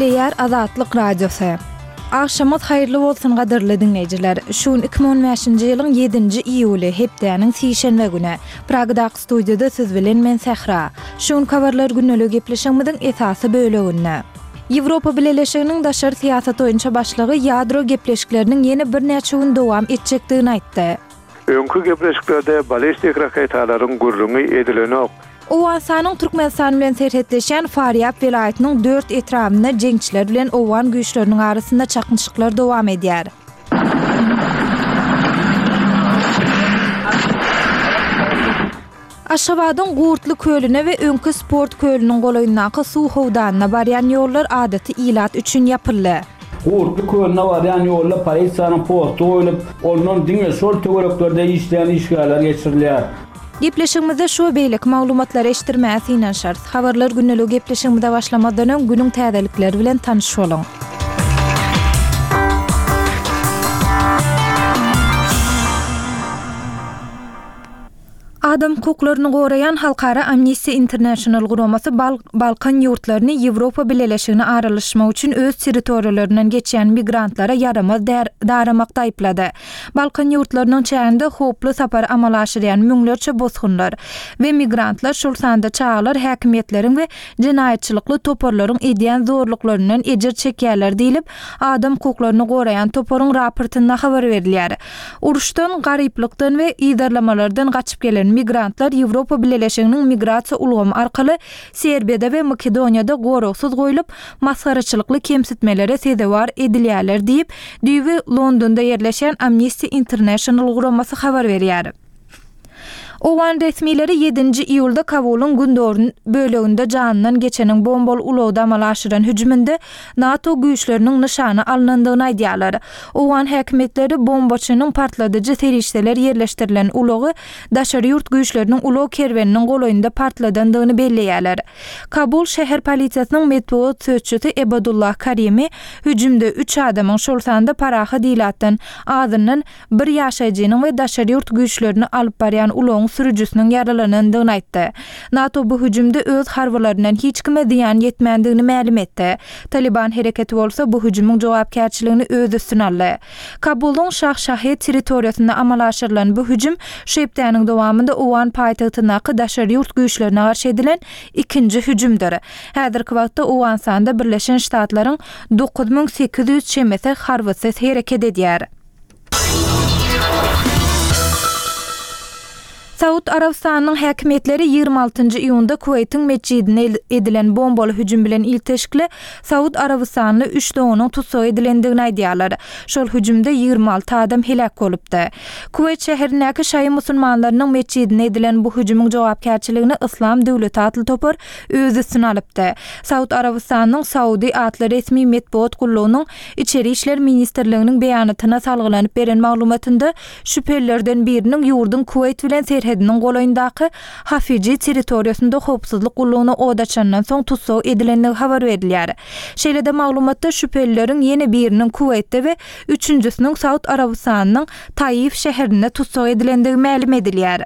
Gepleýär Azatlyk Radiosy. Agşamyňyz haýyrly bolsun gadyrly diňleýjiler. Şu gün 2015-nji ýylyň ýedinji iýuly, hepdäniň sişenbe güni. Pragadaky studiýada siz bilen men Sähra. Şu günki habarlar gündeligi gepleşigimiziň esasy böleginde. Ýewropa Bileleşiginiň daşary syýasat boýunça başlygy ýadro gepleşikleriniň ýene birnäçe gün dowam etjekdigini aýtdy. Öňki gepleşiklerde ballistik raketalaryň gürrüňi edilenok. Owganystanyň Türkmenistan bilen serhetleşýän Farýab welaýatynyň dört etrabynda jeňçiler bilen owgan güýçleriniň arasynda çaknyşyklar dowam edýär. Aşgabadyň Gurtly kölüne we öňki sport kölüniň golaýyndaky suw howdanyna barýan ýollar adaty ilat üçin ýapyldy. Gurtly kölüne barýan ýolda polisiýanyň posty goýlup, ondan diňe şol töwereklerde işleýän işgärler geçirilýär. Gepleşigimizde şu we beýleki maglumatlary eşitdirmäge synanyşarys. Habarlar gündeligi gepleşigimize başlamazdan öň günüň täzelikleri bilen tanyş boluň. Adam hukuklaryny goraýan halkara Amnesty International guramasy Balkan ýurtlaryny Ýewropa Bileleşigine aralaşmak üçin öz territoriýalaryndan geçýän migrantlara ýaramaz daramakda aýyplady. Balkan ýurtlarynyň çäginde howply sapary amala aşyrýan müňlerçe bosgunlar we migrantlar, şol sanda çagalar häkimiýetleriň we jenaýatçylykly toparlaryň edýän zorluklaryndan ejir çekýärler diýlip, adam hukuklaryny goraýan toparyň raportynda habar berilýär. Uruşdan, garyplykdan we yzarlamalardan gaçyp gelen migrantlar Ýewropa Bileleşiginiň migrasiýa ulgamy arkaly Serbiýada we Makedoniýada goragsyz goýlup, masgaraçylykly kemsitmelere sezewar edilýärler diýip, düýbi Londonda ýerleşýän Amnesty International guramasy habar berýär. Owgan resmileri ýedinji iýulda Kabulyň gündogar böleginde janyndan geçeniň bombaly ulagda amala aşyran hüjüminde NATO güýçleriniň nyşana alnandygyny aýdýarlar. Owgan häkimiýetleri bombaçynyň partladyjy serişdeler ýerleşdirilen ulagy daşary ýurt güýçleriniň ulag kerweniniň golaýynda partladandygyny belleýärler. Kabul şäher polisiýasynyň metbugat sözçüsi Ebadullah Karimi hüjümde üç adamyň, şol sanda parahat ilatdan azyndan bir ýaşaýjynyň we daşary ýurt güýçlerini alyp barýan ulagyň sürüjisiniň ýaralanandygyny aýtdy. NATO bu hüjümde öz harbylaryndan hiç kime zyýan ýetmändigini mälim etdi. Talyban hereketi bolsa bu hüjümiň jogapkärçiligini öz üstüne aldy. Kabulyň Şah Şahed territoriýasynda amala aşyrylan bu hüjüm şu hepdäniň dowamynda owgan paýtagtyndaky daşary ýurt güýçlerine garşy edilen ikinji hüjümdir. Häzirki wagtda Owganystanda Birleşen Ştatlaryň 9800 çemesi harbysy hereket edýär. Saud Arabystanynyň häkimiýetleri 26-njy iýunda Kuweýtiň metjidine edilen bombaly hüjüm bilen ilteşikli saud arabystanly üç doganyň tussag edilendigini aýdýarlar. Şol hüjümde 26 adam heläk bolupdy. Kuweýt şäherindäki şaýy musulmanlarynyň metjidine edilen bu hüjümiň jogapkärçiligini Yslam döwleti atly topar öz üstüne alypdy. Saud Arabystanynyň Saudi atly resmi metbugat gullugynyň Içeri işler ministrliginiň beýanatyna salgylanyp beren maglumatynda, şübhelilerden biriniň ýurduň Kuweýt bilen serhediniň golaýyndaky Hafiji territoriýasynda howpsuzlyk gullugyna od açandan soň tussag edilendigi habar berilýär. Şeýle-de maglumatda şübhelileriň ýene biriniň Kuweýtde we üçünjisiniň Saud Arabystanynyň Taif şäherinde tussag edilendigi mälim edilýär.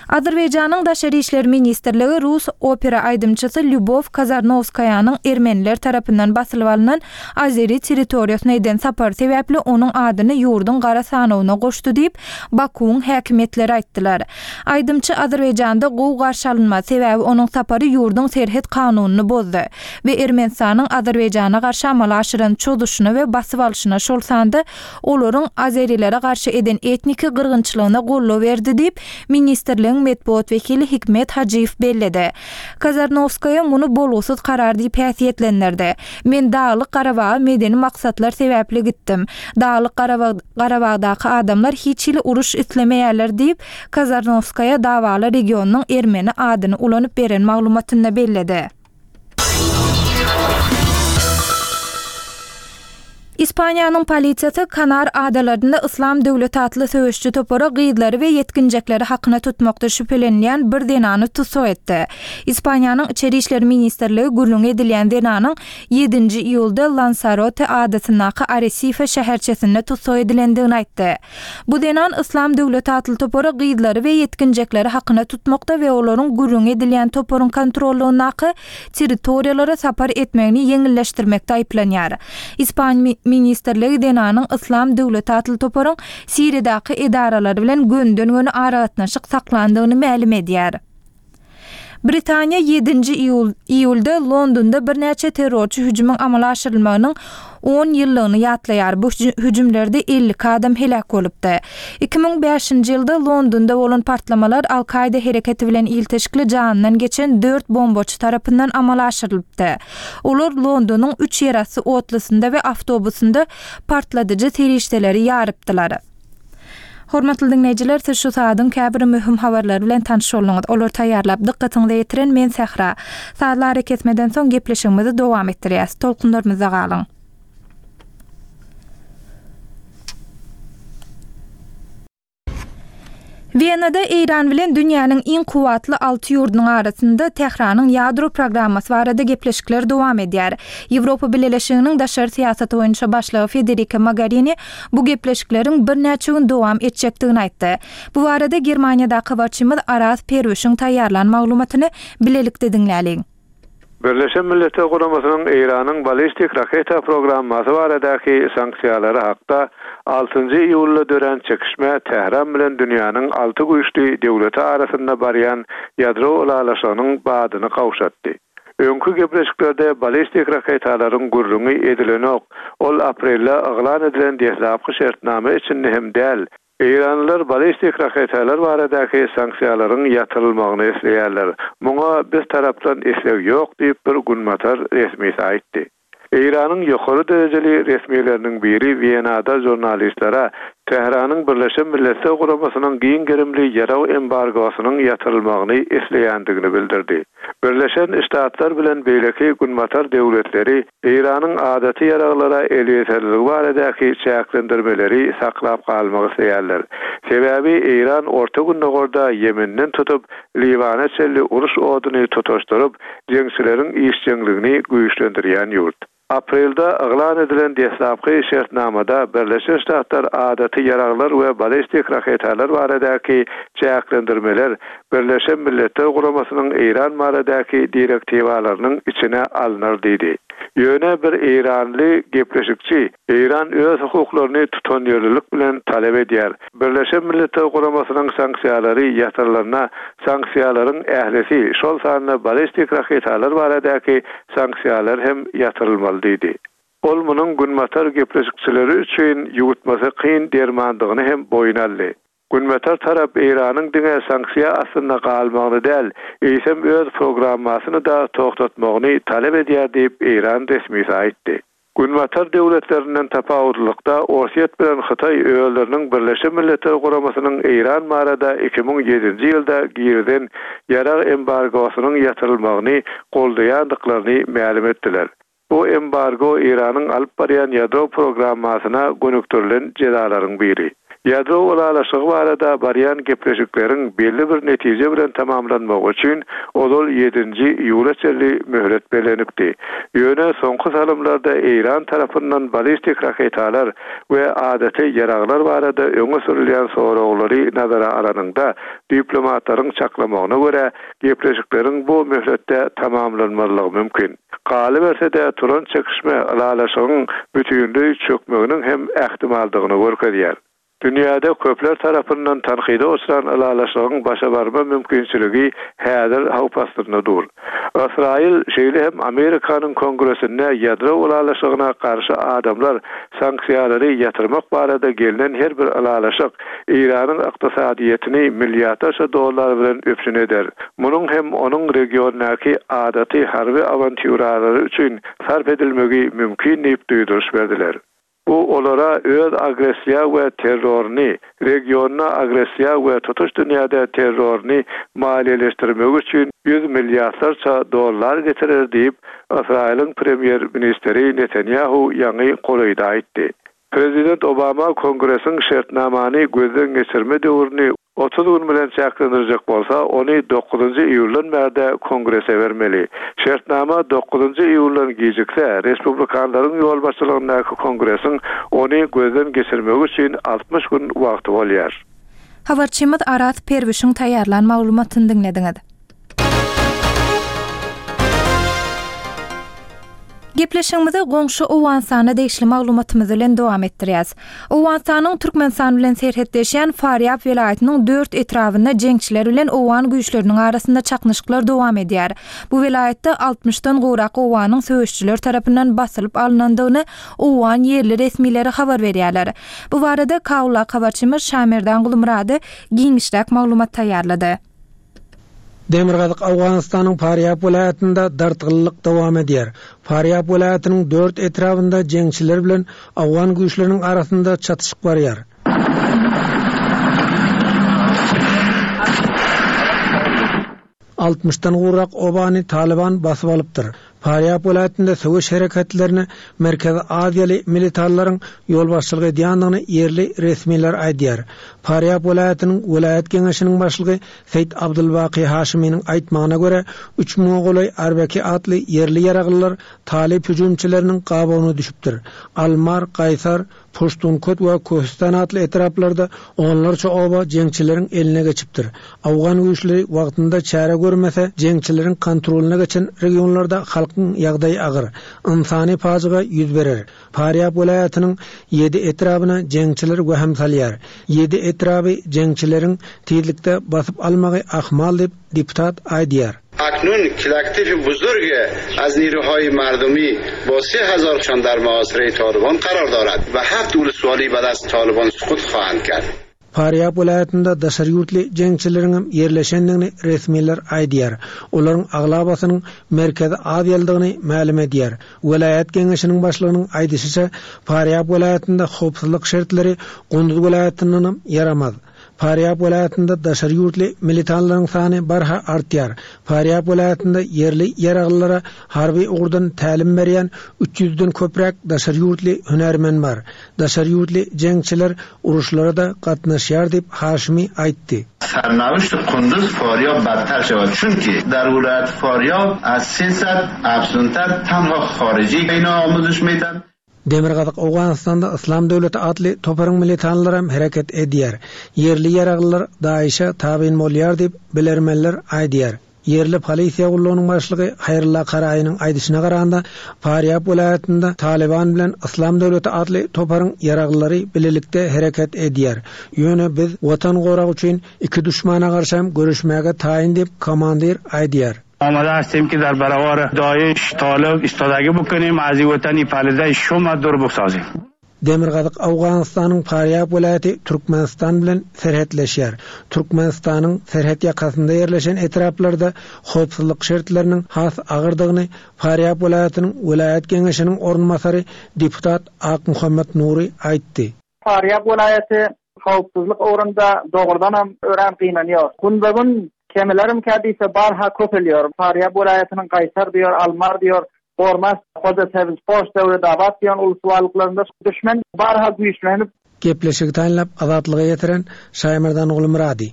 Azerbaýjanyň Daşary işler ministrligi rus opera aýdymçysy Lýubow Kazarnowskaýanyň ermeniler tarapyndan basylyp alnan azeri territoriýasyna eden sapary sebäpli onuň adyny ýurduň gara sanawyna goşdy diýip, Bakuwyň häkimiýetleri aýtdylar. Aýdymçy Azerbaýjanda gowy garşy alynmaz, sebäbi onuň sapary ýurduň serhet kanunyny bozdy we Ermenistanyň Azerbaýjana garşy amala aşyran çozuşyna we basyp alşyna, şol sanda olaryň azerilere garşy eden etniki gyrgynçylygyna goldaw berdi diýip, ministrligiň metbugat wekili Hikmet Hajyýew belledi. Kazarnowskaýa muny bolgusyz karar diýip häsiýetlendirdi. Men Daglyk Garabaga medeni maksatlar sebäpli gitdim. Daglyk Garabagdaky adamlar hiç hili uruş islemeýärler diýip, Kazarnowskaýa dawaly regionynyň ermeni adyny ulanyp beren maglumatynda belledi. Ispaniýanyň polisiýasy Kanar adalarynda Yslam döwleti atly söweşiji topara gyzlary we ýetginjekleri hakyna tutmakda şübhelenilýän bir zenany tussag etdi. Ispaniýanyň Içeri işler ministrligi gürrüňi edilýän zenanyň ýedinji iýulda Lansarote adasyndaky Aresife şäherçesinde tussag edilendigini aýtdy. Bu zenan Yslam döwleti atly topara gyzlary we ýetginjekleri hakyna tutmakda we olaryň gürrüňi edilýän toparyň kontrollygyndaky territoriýalara sapar etmegini ýeňilleşdirmekde aýyplanýar. Ispan ministrligi zenanyň Yslam döwleti atly toparyň Siriýadaky edaralary bilen gönüden-göni aragatnaşyk saklandygyny mälim edýär. Britaniýa ýedinji iýulda Londonda birnäçe terrorçy hüjümiň amala aşyrylmagynyň on ýyllygyny ýatlaýar. Bu hüjümlerde 52 adam heläk bolupdy. 2005-nji ýylda Londonda bolan partlamalar Al-Kaýda hereketi bilen ilteşikli janyndan geçen dört bombaçy tarapyndan amala aşyrylypdy. Olar Londonyň üç ýerasty otlusynda we awtobusynda partladyjy serişdeleri ýarypdylar. Hormatly diňleýjiler, siz şu saadyň käbir möhüm habarlary bilen tanyş bolduňyz. Olary taýýarlap, dykgatyňyza ýetiren men Sähra. Sazly arakesmeden soň gepleşigimizi dowam etdirýäs. Tolkunlarymyzda galyň. Wenada Eýran bilen dünýäniň iň kuwwatly alty ýurdunyň arasynda Tähranyň ýadro programmasy barada gepleşikler dowam edýär. Ýewropa Bileleşiginiň daşary syýasaty boýunça başlygy Federika Mogarini bu gepleşikleriň birnäçe gün dowam etjekdigini aýtdy. Bu barada Germaniýadaky habarçymyz Araz Perwişiň taýýarlan maglumatyny bilelikde diňläliň. Birleşen Milletler Guramasynyň Eýranyň ballistik raketa programmasy baradaky sanksiýalary hakda altynjy iýulda dörän çekişme Tähran bilen dünýäniň alty güýçli döwleti arasynda barýan ýadro ylalaşygynyň badyny gowşatdy. Öňki gepleşiklerde ballistik raketalaryň gürrüňi edilenok, ol aprelde yglan edilen deslapky şertnama içinde hem däl, Eýranlylar ballistik raketalar baradaky sanksiýalaryň ýatyrylmagyny isleýärler. Muňa biz tarapdan isleg ýok diýip, bir günbatar resmisi aýtdy. Eýranyň ýokary derejeli resmileriniň biri Wenada žurnalistlere Tähranyň Birleşen Milletler Guramasynyň giň gerimli ýarag embargosynyň ýatyrylmagyny isleýändigini bildirdi. Birleşen Ştatlar bilen beýleki günbatar döwletleri Eýranyň adaty ýaraglara elýeterliligi baradaky çäklendirmeleri saklap galmak isleýärler. Sebäbi Eýran Orta Gündogarda Ýemenden tutup, Liwana çenli uruş oduny tutaşdyryp, jeňçileriň işjeňligini güýçlendirýän ýurt. Aprelde yglan edilen deslapky şertnamada Birleşen Ştatlar adaty ýaraglar we ballistik raketalar baradaky çäklendirmeler Birleşen Milletler Guramasynyň Eýran baradaky direktiwalarynyň içine alnar diýdi. Ýöne bir eýranly gepleşikçi, Eýran öz hukuklaryny tutanýerlilik bilen talap edýär. Birleşen Milletler Guramasynyň sanksiýalary ýatyrylanda sanksiýalaryň ählisi, şol sanda ballistik raketalar baradaky sanksiýalar hem ýatyrylmaly diýdi. Ol munuň günbatar gepleşikçileri üçin ýuwutmasy kyn dermandygyny hem boýun aldy. Günbatar tarap Eýranyň diňe sanksiýa astynda galmagyny däl, eýsem öz programmasyny-da togtatmagyny talap edýär diýip, eýran resmisi aýtdy. Günbatar döwletlerinden tapawutlylykda, Orsýet bilen Hytaý özleriniň Birleşen Milletler Guramasynyň Eýran barada 2007-nji ýylda girizen ýarag embargosynyň ýatyrylmagyny goldaýandyklaryny mälim etdiler. Bu embargo Eýranyň alyp barýan ýadro programmasyna gönükdirilen jezalaryň biri. Ýadro ylalaşygy barada barýan gepleşikleriň belli bir netije bilen tamamlanmagy üçin ozal ýedinji iýula çenli möhlet bellenipdi. Ýöne soňky salymlarda Eýran tarapyndan ballistik raketalar we adaty ýaraglar barada öňe sürülýän soraglary nazara alanyňda, diplomatlaryň çaklamagyna görä, gepleşikleriň bu möhletde tamamlanmazlygy mümkin. Galyberse-de, turan çekişme ylalaşygyň bütinleý çökmeginiň hem ähtimaldygyny görkezýär. Dünýäde köpler tarapyndan tankyda uçran ylalaşygyň başa barma mümkinçiligi häzir howp astynda dur. Ysraýyl, şeýle hem Amerikanyň Kongresinde ýadro ylalaşygyna garşy adamlar sanksiýalary ýatyrmak barada gelnen her bir ylalaşyk Eýranyň ykdysadyýetini milliardlarça dollar bilen üpjün eder. Munuň hem onuň regiondaky adaty harby awantýuralary üçin sarp edilmegi mümkin diýip duýduryş berdiler. Bu olara öz agressiýa we terroryny, regionda agressiýa we tutuş dünýäde terroryny maliýeleşdirmegi üçin ýüz milliardlarça dollar getirer diýip, Ysraýylyň premýer-ministri Netanýahu ýaňy golaýda aýtdy. Prezident Obama Kongresiň şertnamany gözden geçirme döwrüni 30 gün bilen çäklendirjek bolsa, ony dokuzynjy iýuldan bärde Kongrese bermeli. Şertnama dokuzynjy iýuldan gijikse, respublikanlaryň ýolbaşçylygyndaky Kongresiň ony gözden geçirmegi üçin 60 gün wagty bolýar. Habarçymyz Araz Perwişiň taýýarlan maglumatyny diňlediňiz. Gepleşigimizi goňşy Owganystana degişli maglumatymyz bilen dowam etdirýäs. Owganystanyň Türkmenistan bilen serhetleşýän Farýab welaýatynyň dört etrabynda jeňçiler bilen owgan güýçleriniň arasynda çaknyşyklar dowam edýär. Bu welaýatda altmyşdan gowrak owganyň söweşijiler tarapyndan basylyp alnandygyny owgan ýerli resmileri habar berýärler. Bu barada Kabuldaky habarçymyz Şamerdan Gulmyrady giňişräk maglumat taýýarlady. Demirgazyk Owganystanyň Farýab welaýatynda dartgynlylyk dowam edýär. Farýab welaýatynyň dört etrabynda jeňçiler bilen owgan güýçleriniň arasynda çatyşyk barýar. Altmyşdan gowrak obany Talyban basyp alypdyr. Farýab welaýatynda söweş hereketlerine Merkezi Aziýaly militanlaryň ýolbaşçylyk edýändigini ýerli resmiler aýdýar. Farýab welaýatynyň welaýat geňeşiniň başlygy Seýit Abdulbaky Haşymynyň aýtmagyna görä, üç müňe golaý Arbeki atly ýerli ýaraglylar talyp hüjümçileriniň gabawyna düşüpdir. Almar, Gaýsar, Puştunkot we Köhüstan atly etraplarda onlarça oba jeňçileriň eline geçipdir. Owgan güýçleri wagtynda çäre görmese, jeňçileriň kontrolyna geçen regionlarda halkyň ýagdaýy agyr, ynsany pajyga ýüz berer. Farýab welaýatynyň ýedi etrabyna jeňçiler wehim salýar. Ýedi etraby jeňçileriň tizlikde basyp almagy ahmal diýip, deputat aýdýar. اکنون کلکتیف بزرگ از نیروهای مردمی با 3000 شان در محاصره طالبان قرار دارد و هفت ولسوالی به دست طالبان سقوط خواهند کرد. Farýab welaýatynda daşary ýurtly jeňçileriňem ýerleşendigini resmiler aýdýar. Olaryň aglabasynyň Merkezi Aziýalydygyny mälim edýär. Welaýat geňeşiniň başlygynyň aýdyşyça, Farýab welaýatynda howpsuzlyk şertleri Gunduz welaýatyndanam ýaramaz. Farýab welaýatynda daşary ýurtly militanlaryň sany barha artýar. Farýab welaýatynda ýerli ýaraglylara harby ugurdan tälim berýän üç ýüzden köpräk daşary ýurtly hünärmen bar. Daşary ýurtly jeňçiler uruşlara-da gatnaşýar diýip, Haşimi aýtdy. سرنوشت قندوز فاریاب بدتر شود چونکه در ولایت فاریاب از 300 افزونتر تنها خارجی اینا آموزش میدن Demirgazyk Owganystanda Yslam döwleti atly toparyň militanlaram hereket edýär. Ýerli ýaraglylar DAIŞ-e tabyn bolýar diýip, bilermenler aýdýar. Ýerli polisiýa gullugynyň başlygy Haýrylla Karaýynyň aýdyşyna garanda, Farýab welaýatynda Talyban bilen Yslam döwleti atly toparyň ýaraglylary bilelikde hereket edýär. Ýöne biz Watan goragy üçin iki duşmana garşam göreşmäge taýyn diýip, komandir aýdýar. آماده هستیم که در برابر داعش طالب ایستادگی بکنیم از این وطن پلیده شوم دور بسازیم. Demirgazyk Owganystanyň Farýab welaýaty Türkmenistan bilen serhetleşýär. Türkmenistanyň serhet ýakasynda ýerleşen etraplarda howpsuzlyk şertleriniň has agyrdygyny Farýab welaýatynyň welaýat geňeşiniň orunbasary deputat Akmuhammet Nury aýtdy. Farýab welaýaty howpsuzlyk ugrunda dogrudanam örän gynanýar. Günbe-gün kemilerimkä diýse barha köpelýär. Farýab welaýatynyň Gaýsar diýer, Almar diýer, Gormas, Hoja Sebzpoş, Döwledabat diýen ulus-walyklarynda düşmen barha güýçlenip, Gepleşigi taýynlap Azatlyga ýetiren Şaýmerdan Gulmyrady.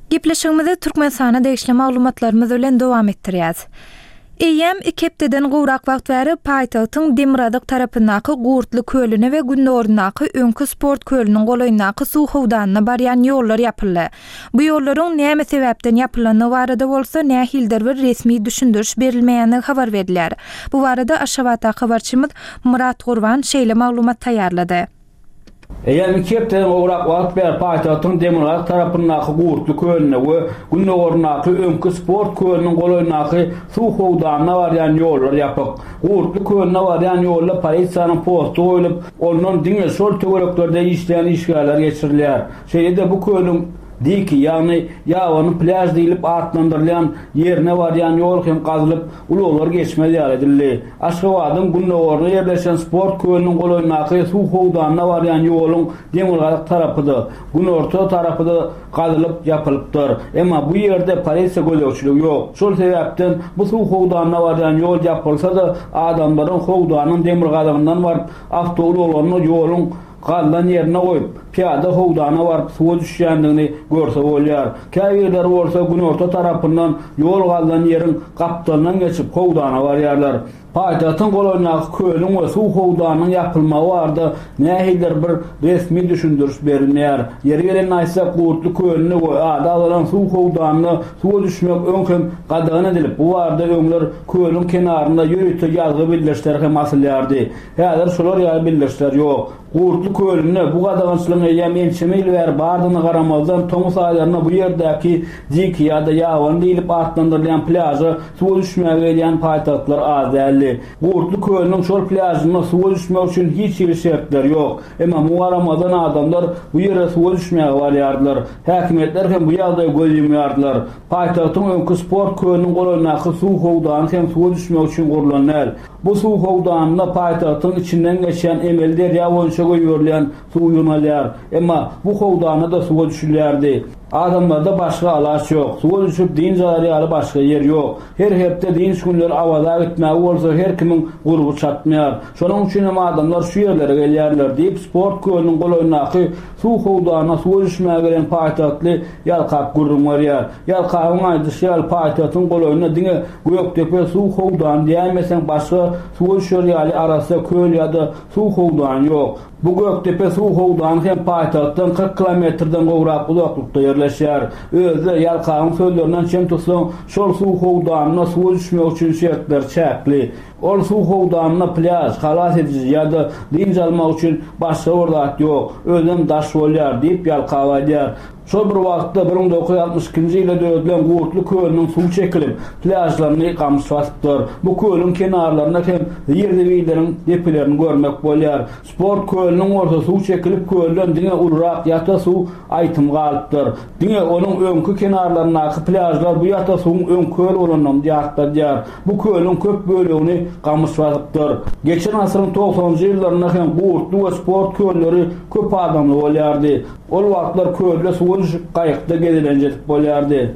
Gepleşigimizi Türkmenistana degişli maglumatlarymyz bilen dowam etdirýäs. Eýýäm iki hepdeden gowrak wagt bäri paýtagtyň demirgazyk tarapyndaky Gurtly kölüne we gündogaryndaky öňki sport kölüniň golaýyndaky suw howdanyna barýan ýollar ýapyldy. Bu ýollaryň näme sebäpden ýapylandygy barada bolsa nähilidir bir resmi düşündiriş berilmeýändigi habar berilýär. Bu barada Aşgabatdaky habarçymyz Myrat Gurban şeýle maglumat taýýarlady. Eýýäm iki hepdeden gowrak wagt bäri paýtagtyň demirgazyk tarapyndaky Gurtly kölüne we gündogaryndaky öňki sport kölüniň golaýyndaky suw howdanyna barýan ýollar ýapyk. Gurtly kölüne barýan ýolda polisiýanyň posty goýlup, ondan diňe şol töwereklerde işleýän işgärler geçirilýär. Şeýle-de bu kölüň. Diki, ýagny ýabany plýaž diýlip atlandyrylýan ýerine barýan ýol hem gazylyp, ulaglar geçmez ýaly edildi. Aşgabadyň gündogarynda ýerleşen sport kölüniň golaýyndaky suw howdanyna barýan ýoluň demirgazyk tarapy-da, günorta tarapy-da gazylyp ýapylypdyr. Emma bu ýerde polisiýa gözegçiligi ýok. Şol sebäpden bu suw howdanyna barýan ýol ýapylsa-da, adamlaryň howdanyň demirgazygyndan baryp, awtoulaglaryny ýoluň gazylan ýerine goýup, pyýada howdana baryp suwa düşýändigini görse bolýar. Käbirleri bolsa günorta tarapyndan ýol gazylan ýeriň gapdalyndan geçip howdana barýarlar. Paýtagtyň golaýyndaky kölüň we suw howdanynyň ýapylmagy barada nähilidir bir resmi düşündiriş berilmeýär. Ýeri gelende aýtsak, Gurtly kölünde we ady agzalan suw howdanynda suwa düşmek öň hem gadagan edilip, bu barada öňler kölüň kenarynda ýörite ýazgy bildirişler hem asylýardy. Häzir şolar ýaly bildirişler ýok. Gurtly kölünde bu gadagançylygyň eýýäm ençeme ýyl bäri bardygyna garamazdan, tomus aýlarynda bu ýerdäki Diki ýa-da Ýabany diýlip atlandyrylýan plýaža suwa düşmäge gelýän paýtagtlylar az däldi. Gurtly kölüniň şol plýažynda suwa düşmek üçin hiç hili şertler ýok. Emma muňa garamazdan adamlar bu ýere suwa düşmäge barýardylar. Häkimiýetler hem bu ýagdaýa göz ýumýardylar. Paýtagtyň öňki sport kölüniň golaýyndaky suw howdany hem suwa düşmek üçin gurlan däl. Bu suw howdanynda paýtagtyň içinden geçýän emeli derýa boýunça goýberilýän suw ýygnalýar. Emma bu howdanda-da suwa düşülýärdi. Adamlarda başga alaç ýok. Suwa düşüp dynç alar ýaly başga ýer ýok. Her hepde dynç günleri Awaza gitmäge bolsa her kimiň gurby çatmaýar. Şonuň üçin hem adamlar şu ýerlere gelýärler, diýip, sport kölüniň golaýyndaky suw howdanyna suwa düşmäge gelen paýtagtly Ýalkap gürrüň berýär. Ýalkabyň aýdyşy ýaly, paýtagtyň golaýynda diňe Gökdepe suw howdany diýäýmeseň başga suwa düşer ýaly arassa köl ýa-da suw howdany ýok. Bu Gökdepe suw howdany hem paýtagtdan 40 kilometrden gowrak uzaklykda ýerleşýär. Özi-de, Ýalkabyň sözlerinden çen tutsaň, şol suw howdanynda suwa düşmek üçin şertler çäkli. Ol suw howdanynda plýaž, halas ediji ýa-da dynç almak üçin başga bir zat ýok, özem daş bolýar, diýip, Ýalkap aýdýar. Şol bir wagtda, 1962-nji ýylda döredilen Gurtly kölüniň suwy çekilip, plýažlaryny gamyş basypdyr. Bu kölüň kenarlarynda hem zir-zibilleriň depelerini görmek bolýar. Sport kölüniň bolsa suwy çekilip, kölden diňe ulurak ýata suw aýtym galypdyr. Diňe onuň öňki kenarlaryndaky plýažlar bu ýata suwuň öň köl bolanyny ýatladýar. Bu kölüň köp bölegini gamyş basypdyr. Geçen asyryň togsanynjy ýyllarynda hem Gurtly we Sport kölleri köp adamly bolýardy. Ol wagtlar kölde suwa düşüp, gaýykda gezelenç edip bolýardy.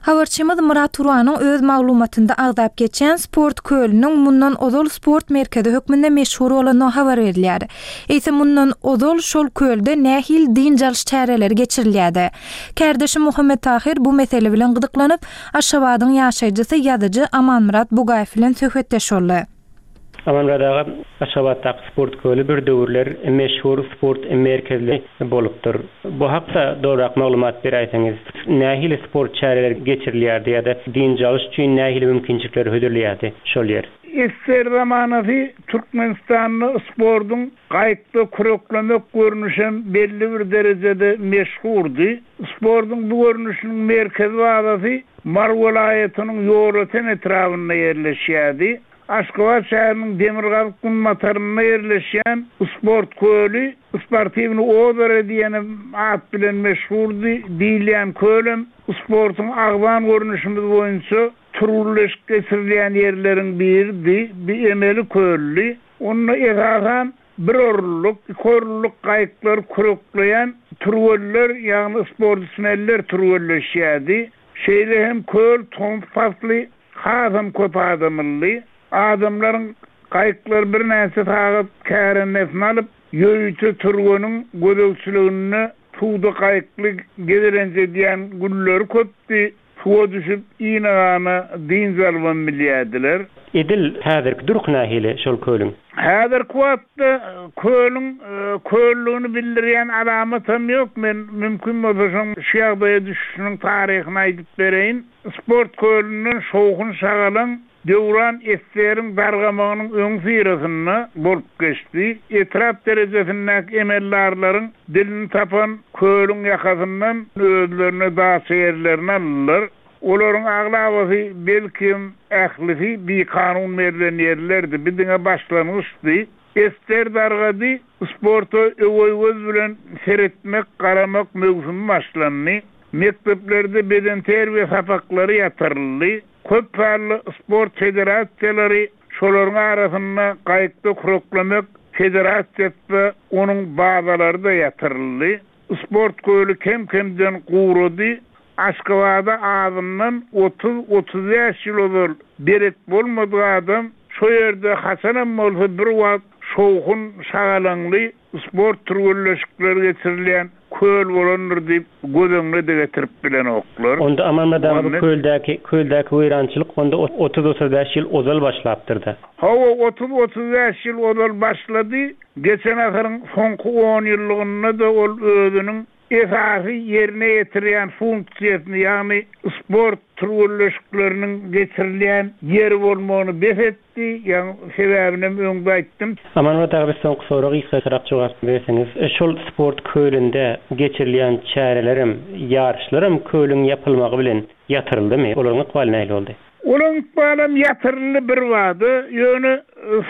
Habarçymyz Myrat Turanyň öz maglumatynda agzap geçýän Sport kölüniň mundan ozal sport merkezi hökmünde meşhur bolandygy habar berilýär. Eýse mundan ozal şol kölde nähili dynç alyş çäreleri geçirilýärdi? Kärdeşim Muhammet Tahyr bu mesele bilen gyzyklanyp, Aşgabadyň ýaşaýjysy, ýazyjy Amanmyrat Bugaýew bilen söhbetdeş boldy. Amanmyrat aga, Aşgabatdaky sport köli bir döwürler meşhur sport merkezli bolupdyr. Bu hakda dolurak maglumat beräýseňiz. Nähili sport çäreleri geçirilýärdi ýa-da dynç alyş üçin nähili mümkinçilikleri hödürleýärdi şol ýer? Ssr zamanasy Türkmenistanda sportuň gaýykda küreklemek görnüşem belli bir derejede meşhurdy. Sportuň bu görnüşiniň merkezi bazasy Mary welaýatynyň Ýolöten etrabynda ýerleşýärdi. Aşgabat şäheriniň demirgazyk-günbatarynda ýerleşýän sport köli Sportiwnyý ozero diýen at bilen meşhurdy diýilýän kölem sportuň agzan görnüşimiz boýunça türgünleşik geçirilýän ýerleriň biridi. Bu emeli köldi. Onda esasan Bir orunlyk, iki orunlyk gaýyklary kürekleýän türgenler, ýagny sportsmenler türgenleşýärdi. Şeýle hem köl tomus pasly hasam köp adamlydy. Adamlaryň gaýyklary birnäçe sagat kärendesine alyp, ýörite türgeniň gözegçiliginde suwda gaýykly gezelenç edýän günleri köpdi. Suwa düşüp, ine-gana dynç alybam bilýärdiler. Edil häzirki durky nähili şol kölüň? Häzirki wagtda kölüň köldügini bildirýän alamatam ýok. Men mümkin bolsa şoň şu ýagdaýa düşüşiniň taryhyny aýdyp bereýin. Sport kölünden şowhun-şagalaň Döwran ssr-iň dargamagynyň öňüsyrasynda bolup geçdi. Etrap derejesindäki emeldarlaryň dilini tapan kölüň ýakasyndan özlerine daça ýerlerini aldylar. Olaryň aglabasy, belkem, ählisi bikanun berlen ýerlerdi. Bu diňe başlangyçdy. Ester dargady, sporta öweý göz bilen seretmek, garamak möwsümi başlandy. Mekdeplerde bedenterbiýe sapaklary ýatyryldy. Köp sanly sport federasiýalary, şolaryň arasynda gaýykda küreklemek federasiýasy-da, onuň bazalary-da ýatyryldy. Sport köli kem-kemden gurady. Aşgabada azyndan otuz-otuzbäş ýyl ozal belet bolmadyk adam şo ýerde haçanam bolsa bir wagt şowhun, şagalaňly sport türgenleşikleri geçirilýän köl bolandyr diýip göz öňüne-de getirip bilenoklar. Onda Amanmyrat aga bu köldäki köldäki weýrançylyk onda otuz-otuzbäş ýyl ozal başlapdyr-da. Hawa, otuz-otuzbäş ýyl ozal başlady. Geçen asyryň soňky onýyllygynda-da ol özüniň esasy ýerine ýetirýän funksiýasyny, ýagny sport türgenleşikleriniň geçirilýän ýeri bolmagyny bes etdi, ýagny sebäbinem öňde aýtdym. Amanmyrat aga bir soňky sorag gysgaçarak jogap berseňiz, şol sport kölünde geçirilýän çärelerem, ýaryşlaram kölüň ýapylmagy bilen ýatyryldymy? Olaryň ykbaly nähili boldy? Olaň ykbalam ýatyryldy birbada, ýöne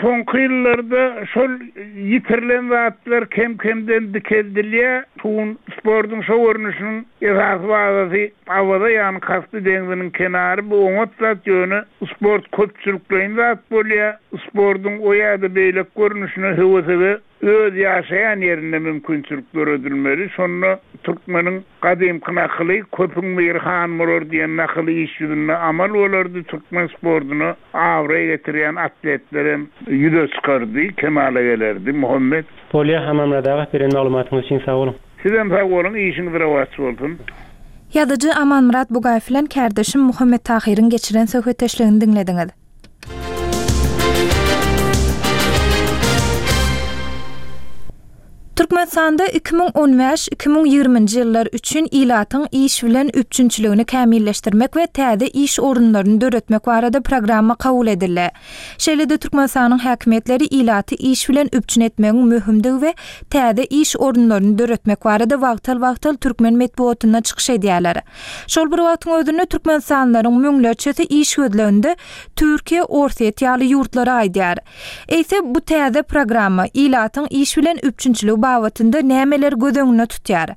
soňky ýyllarda şol ýitirilen zatlar kem-kemden dikeldilýär. Şu gün sportuň şo görnüşiniň esasy bazasy Awaza, ýagny Kaspi deňziniň kenary. Bu oňat zat, ýöne sport köpçülikleýin zat bolýar. Sportuň o ýa-da beýleki görnüşine höwesege öz ýaşaýan ýerinde mümkinçilik döredilmeli. Şonda türkmeniň gadymky nakyly, Köpüň biri han bolar diýen nakyly iş ýüzünde amal bolardy, türkmen sportuna abraý getirýän atletlerem ýüze çykardy, kemala gelerdi. Muhammet. Bolýa, Amanmyrat aga, beren maglumatyňyz üçin sag boluň. Sizem sag boluň, işiňiz rowaç bolsun. Ýazyjy Amanmyrat Bugaýew bilen kärdeşim Muhammet Tahyryň geçiren söhbetdeşligini diňlediňiz. Türkmenistanda 2015, 2020-nji ýyllar üçin ilatyň iş bilen üpjünçiligini kämilleşdirmek we täze iş orunlaryny döretmek barada programma kabul edildi. Şeýle-de Türkmenistanyň häkimiýetleri ilaty iş bilen üpjün etmegiň möhümdigi we täze iş orunlaryny döretmek barada wagtal-wagtal türkmen metbugatynda çykyş edýärler. Şol bir wagtyň özünde türkmenistanlylaryň müňlerçesi iş gözleginde Türkiýe, Orsýet ýaly ýurtlara gaýdýar. Eýse, bu täze programma ilatyň iş bilen üpjünçiligi babatynda nämeleri göz öňünde tutýar?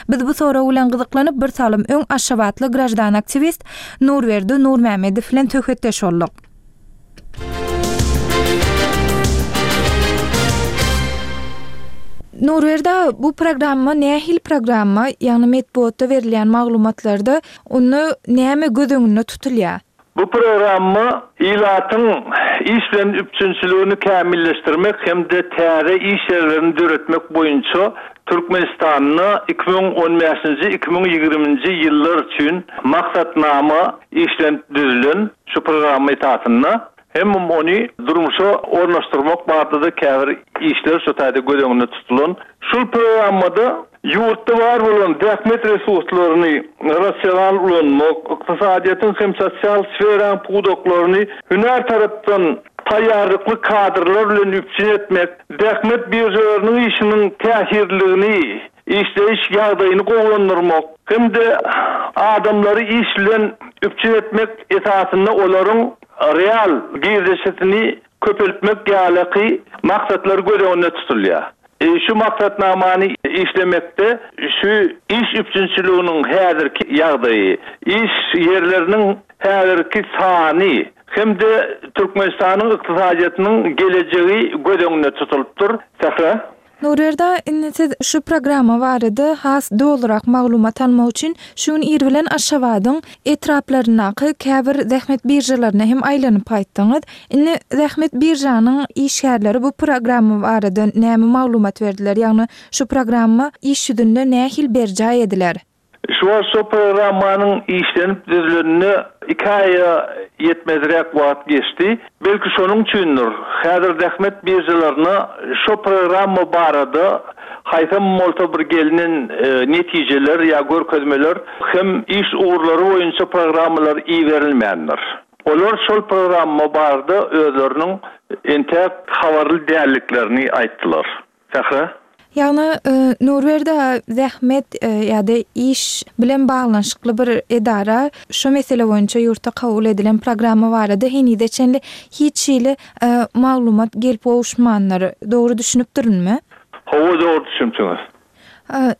Biz bu sorag bilen gyzyklanyp, bir salym öň aşgabatly graždan aktiwist Nurberdi Nurmämmedow bilen söhbetdeş bolduk. Nurberdi aga, bu programma nähili programma, ýagny metbugatda berilýän maglumatlarda onda näme göz öňünde tutulýar? Bu programma ilatyň iş bilen üpjünçiligini kämilleşdirmek hem-de täze iş ýerlerini döretmek boýunça Türkmenistanda 2015-nji, 2020-nji ýyllar üçin maksatnama işlenip düzülen. Şu programma esasynda hemem ony durmuşa ornaşdyrmak barada-da käbir işler şu taýda göz öňünde tutulan. Şul programmada ýurtda bar bolan zähmet resurslaryny rasional ulanmak, ykdysadyýetiň hem sosial sferaň pudaklaryny hünär tarapdan taýýarlykly kadrlar bilen üpjün etmek, zähmet biržalarynyň işiniň täsirliligini işleýiş ýagdaýyny gowulandyrmak hem-de adamlary iş bilen üpjün etmek esasynda olaryň real girdejisini köpeltmek ýalyky maksatlar göz öňünde tutulýar. Şu maksatnamany işlemekde şu iş üpjünçiliginiň häzirki ýagdaýy, iş ýerleriniň häzirki sany hem-de Türkmenistanyň ykdysadyýetiniň gelejegi göz öňünde tutulypdyr. Sähra. Nurberdi aga, indi siz şu programma barada has dolurak maglumat almak üçin şu gün ir bilen Aşgabadyň etraplaryndaky käbir zähmet biržalaryna hem aýlanyp gaýtdyňyz. Indi zähmet biržanyň işgärleri bu programma barada näme maglumat berdiler, ýagny şu programma iş ýüzünde nähili berjaý ediler? Şu wagt şo programmanyň işlenip düzülenine iki aýa ýetmezräk wagt geçdi. Belki şonuň üçindir, häzir zähmet biržalaryna şo programma barada haýsam bolsa bir gelnen netijeler ýa görkezmeler hem iş ugurlary boýunça programmalar iberilmändir. Olar şol programma barada özleriniň entäk habarly dälliklerini aýtdylar. Sähra. Ýagny, Nurberdi aga, zähmet ýa-da iş bilen baglanyşykly bir edara şu mesele boýunça ýurtda kabul edilen programma barada henize çenli hiç hili maglumat gelip gowuşmandyr. Dogry düşünipdirinmi? Hawa, dogry düşünipsiňiz.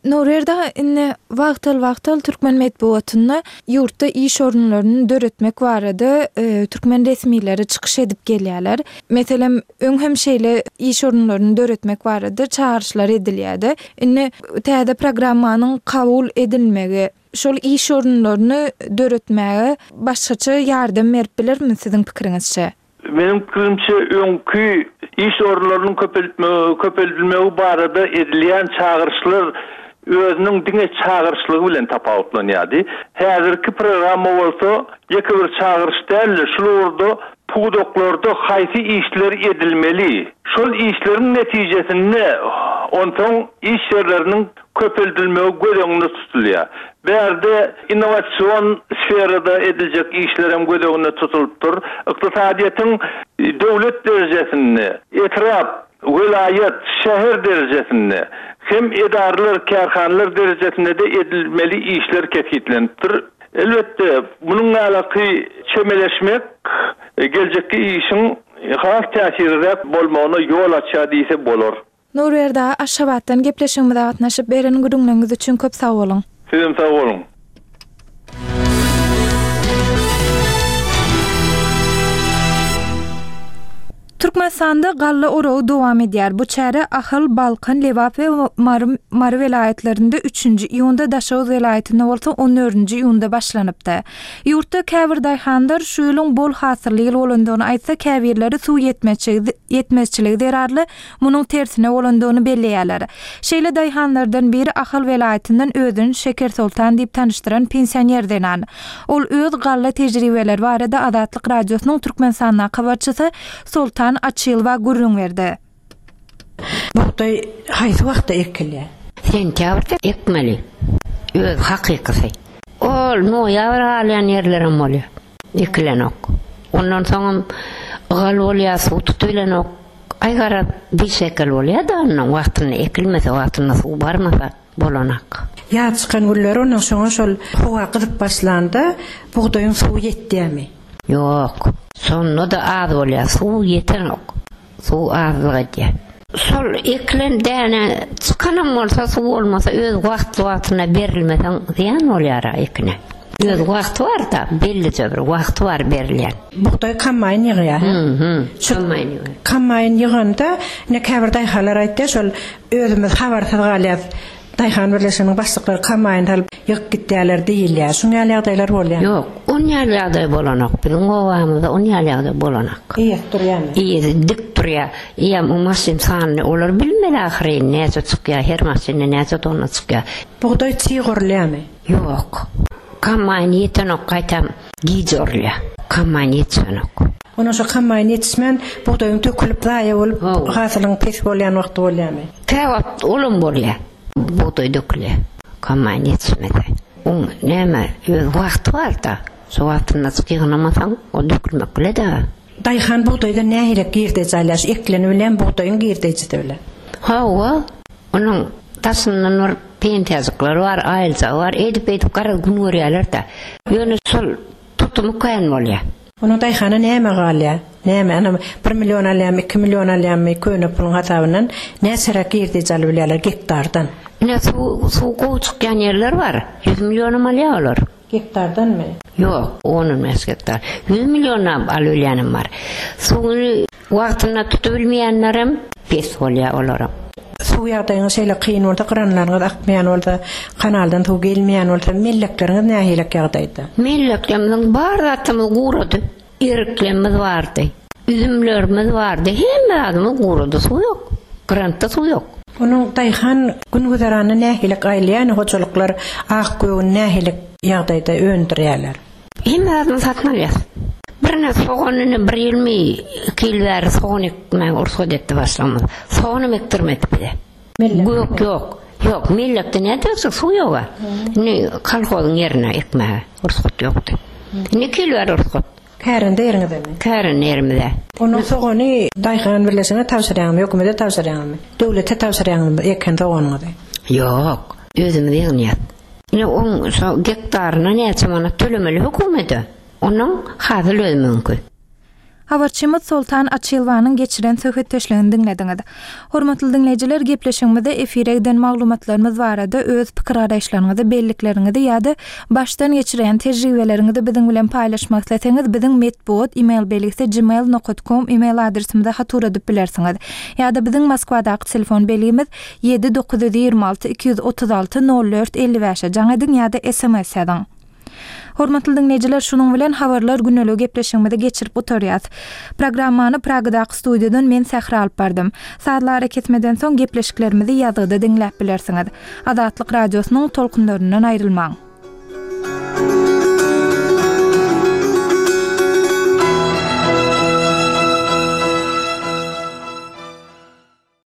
Nurberdi aga, indi wagtal-wagtal türkmen metbugatynda ýurtda iş orunlaryny döretmek barada türkmen resmileri çykyş edip gelýärler. Meselem, öň hem şeýle iş orunlaryny döretmek barada çagyryşlar edilýärdi. Indi täze programmanyň kabul edilmegi şol iş orunlaryny döretmäge başgaça ýardam berip bilermi siziň pikiriňizçe? Meniň pikirimçe, öňki iş orunlarynyň köpeldilmegi barada edilýän çagyryşlar özüniň diňe çagyryşlygy bilen tapawutlanýardy. Häzirki programma bolsa ýeke bir çagyryş däl-de, şul ugurda pudaklarda haýsy işler edilmeli, şol işleriň netijesinde onsoň iş ýerleriniň köpeldilmegi göz öňünde tutulýar. Bärde innowasion sferada ediljek işler hem göz öňünde tutulypdyr. Ykdysadyýetiň döwlet derejesinde, etrap, welaýat, şäher derejesinde hem edaralar, kärhanalar derejesinde-de edilmeli işler kesgitlenipdir. Elbetde, munuň ýalaky çemeleşmek geljekki işiň has täsirliräk bolmagyna ýol açýar diýse bolar. Nurberdi aga Aşgabatdan gepleşigimize gatnaşyp beren gürrüňleriňiz üçin köp sag boluň. Sizem sag boluň. Türkmenistanda galla oragy dowam edýär. Bu çäre Ahal, Balkan, Lebap we Mary Mary welaýatlarynda üçünji iýunda, Daşoguz welaýatynda bolsa on dördünji iýunda başlanypdy. Ýurtda käbir daýhanlar şu ýylyň bol hasylly ýyl bolandygyny aýtsa, käbirleri suw ýetmezçiligi zerarly munuň tersine bolandygyny belleýärler. Şeýle daýhanlardan biri Ahal welaýatyndan özüni Şekersoltan diýip tanyşdyran pensioner zenan. Ol öz galla tejribeleri barada Azatlyk Radiosynyň Türkmenistandaky habarçysy Soltan Açylowa gürrüň berdi. Bugdaý haýsy wagtda ekilýär? Sentýabrda ekmeli. Öz hakykysy. Ol noýabr galýan ýerlerem bolýar. Ekilenok. Ondan soňam ygal bolýar, suw tutubilenok. Aý garaz bir şekel bolýa-da onnoň wagtynda ekilmese, wagtynda suw barmasa bolanak. Ýaz çykan günleri onnoň şoňa şol howa gyzyp başlanda bugdaýyň suwy ýetýämi? Ýok. Şonda-da az bolýa, suw ýetenok. Suw azlyk edýä. Şol ekilen däne çykanam bolsa suw bolmasa öz wagtly-wagtynda berilmeseň zyýan bolýar-a ekine. Öz wagty bar-da, bellije bir wagty bar berilýän. Bugdaý kombaýn ýygýar, hä? Hü, kombaýn ýygýar. Kombaýn ýyganda, ine käbir daýhanlar aýtýar, şol özümiz habarsyz galýas, daýhan birleşiginiň başlyklary kombaýn salyp ýygyp gitýärler diýilýär. Şuň ýaly ýagdaýlar bolýarmy? Ýok, on ýaly ýagdaý bolanok. Biziň obamyzda on ýaly ýagdaý bolanok. Eýesi durýarmy? Eýesi dik durýar. Eýýäm o maşyn sanyny olar bilmeli ahyryn, näçe çykýar, her maşynda näçe tonna çykýar. Bugdaý çig orulýarmy? Ýok. Kombaýn ýetenok gaýtam gij orulýar. Kombaýn ýetişenok. Ondan şo kombaýn ýetişmän bugdaýyň dökülip zaýa bolup hasylyň pes bolýan wagty bolýarmy? Käwagt olam bolýar. Bugdaý dökülýär. Kombaýn ýetişmese. Oň näme öz wagty barda. Şo wagtynda ýygnamasaň o dökülmek bile-dä. Daýhan bugdaýdan nähili girdeji alýar? Şu ekleni bilen bugdaýyň girdejisi bilen. Hawa. Onuň daşyndan bir pensiýajyklary bar, aýlyjagy bar, eýdip-beýdip garaz gün görýärler-dä. Ýöne şol tutumy kän bolýar. Onuň daýhana näme galýar? Näme, ana, bir million alýarmy, iki million alýarmy, köne puluň hasabyndan näçeräk girdeji alyp bilýärler gektardan? Ine, suw, suw gowy çykýan ýerler bar, ýüz millionam alýar olar. Gektardanmy? Ýok, on-on bäş gektar. Ýüz millionlap alybilýänem bar. Suwuny wagtynda tutubilmeýänlerem pes bolýar olaram. Suw ýagdaýyňyz şeýle kyn bolsa, gyranlaryňyz akmaýan bolsa, kanaldan suw gelmeýän bolsa, mellekleriňiz nähilek ýagdaýda? Melleklerimiziň bar zatymyz gurady. Eriklerimiz bardy, üzümlerimiz bardy, hemme zadymyz gurady, suw ýok. Grantda suw ýok. Onuň daýhan gün-güzeranyny nähili gaýylýany hojalyklar ak-gögüni nähili ýagdaýda öndürýärler? Hemme zadyny satyn alýas. Birine sogan ine bir ýylmy, iki ýyl bäri sogan ekmäge rugsat etdi başlygymyz. Soganam ekdirmedi bize. Gök ýok. Ýok, mellekde nädip ekjek, suw ýog-a. Indi kolhozyň ýerine ekmäge rugsat ýokdy. Indi iki ýyl bäri rugsat. Kärende ýeriňizemi? Kärende ýerimize. Onuň sogany daýhan birleşigine tabşyrýaňyzmy, hökümete tabşyrýaňyzmy? Döwlete tabşyrýaňyzmy eken soganyňyzy? Ýok, özümiz ýygnaýas. Ine oň şo gektaryna näçe manat tölemeli hökümete? Onuň hasyl özümiňki. Habarçymyz Soltan Açylowanyň geçiren söhbetdeşligini diňlediňiz. Hormatly diňleýjiler, gepleşigimizde efire giden maglumatlarymyz barada öz pikir-garaýyşlaryňyzy, bellikleriňizi ýa-da başdan geçirýän tejribeleriňizi biziň bilen paýlaşmak isleseňiz, biziň metbugat email belgisi gmail nokat kom email adresimize hat ugradyp bilersiňiz. Ýa-da biziň Moskwadaky telefon belgimiz ýedi 926 236 04 55-e jaň ediň ýa-da sms ýazyň. Hormatly diňleýjiler, şunuň bilen Habarlar güneligi gepleşigimizi geçirip gutarýas. Programmany Pragadaky studiýadan men Sähra alyp bardym. Sazly arakesmeden soň gepleşiklerimizi ýazgyda diňläp bilersiňiz. Azatlyk Radiosynyň tolkunlaryndan aýrylmaň!